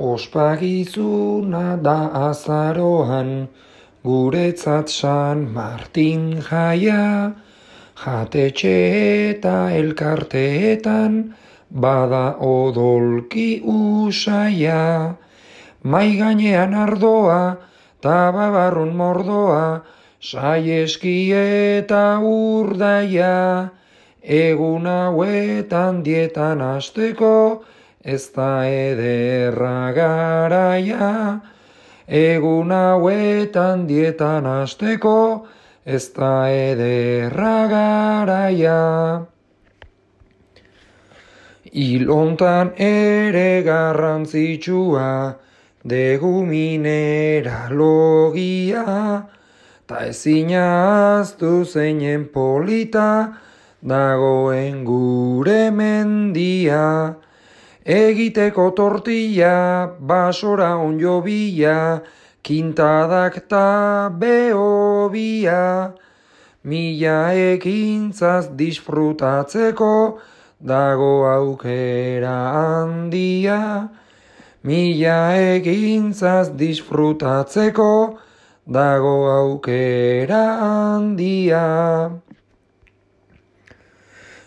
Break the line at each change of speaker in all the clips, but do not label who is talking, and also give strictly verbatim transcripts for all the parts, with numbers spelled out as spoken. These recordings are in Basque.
Ospakizuna da azaroan, guretzat San Martin jaia, jatetxe eta elkarteetan, bada odolki usaia. Mai gainean ardoa, ta babarrun mordoa, saieski eta urdaia. Egun hauetan dietan hasteko, ez da ederra garaia. Egun hauetan dietan hasteko, ez da ederra garaia. Ilontan ere garrantzitsua, degu mineralogia, ta ezin ahaztu zeinen polita, dagoen gure mendia. Egiteko tortilla, basora onjo bila, kintadak ta behobia. Mila ekintzaz disfrutatzeko, dago aukera handia. Mila ekintzaz disfrutatzeko, dago aukera handia.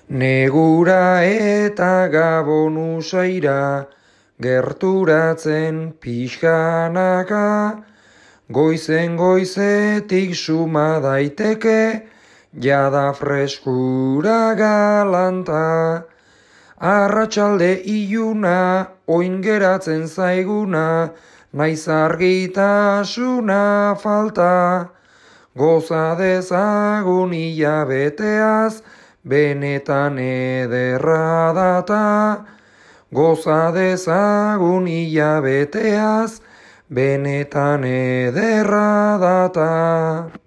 Negura eta Gabon usaira, gerturatzen pixkanaka, goizen goizetik suma daiteke, jada freskura galanta. Arratsalde iluna, oin geratzen zaiguna, naiz argitasuna falta. Goza dezagun hilabeteaz, benetan ederra data. Goza dezagun hilabeteaz, benetan ederra data.